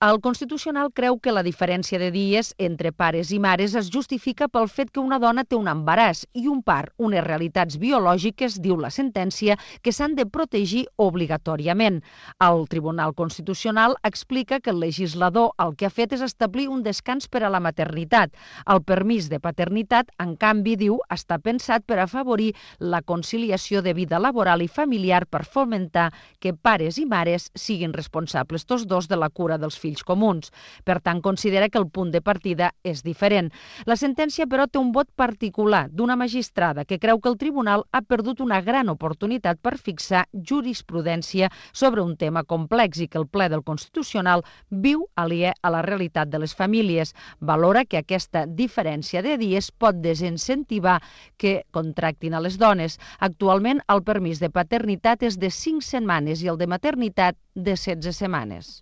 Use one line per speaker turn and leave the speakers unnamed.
El Constitucional creu que la diferència de dies entre pares i mares es justifica pel fet que una dona té un embaràs i un part, unes realitats biològiques, diu la sentència, que s'han de protegir obligatòriament. El Tribunal Constitucional explica que el legislador el que ha fet és establir un descans per a la maternitat. El permís de paternitat, en canvi, diu, està pensat per afavorir la conciliació de vida laboral i familiar per fomentar que pares i mares siguin responsables tots dos de la cura dels fills comuns. Per tant, considera que el punt de partida és diferent. La sentència, però, té un vot particular d'una magistrada que creu que el tribunal ha perdut una gran oportunitat per fixar jurisprudència sobre un tema complex i que el ple del Constitucional viu aliè a la realitat de les famílies. Valora que aquesta diferència de dies pot desincentivar que contractin a les dones. Actualment, el permís de paternitat és de 5 setmanes i el de maternitat de 16 setmanes.